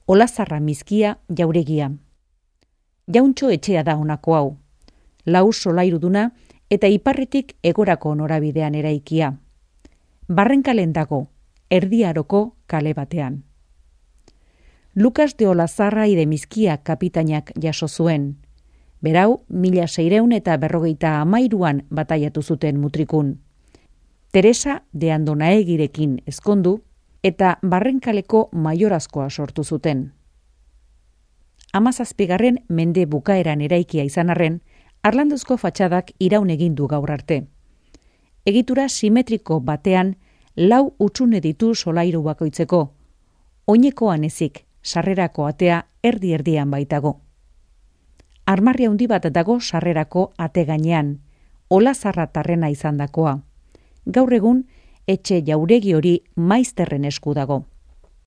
Olazarra mizkia jauregia. Jauntxo etxea da honako hau. Lau solairuduna eta iparretik egorako norabidean eraikia. Barrenkalen dago, Erdiaroko kale batean. Lukas de Olazarra ide mizkia kapitainak jaso zuen. Berau, 1653an bataiatu zuten mutrikun. Teresa de Andonaegirekin ezkondu eta Barrenkaleko maiorazkoa sortu zuten. 17. mende bukaeran eraikia izan arren, harlanduzko fatxadak iraun egin du gaur arte. Egitura simetriko batean 4 hutsune ditu solairu bakoitzeko. Oinekoan ezik, sarrerako atea erdi-erdian baitago. Armarri handi bat dago sarrerako ate gainean, Olazarra tarrena izandakoa. Gaur egun, etxe jauregi hori maizterren esku dago.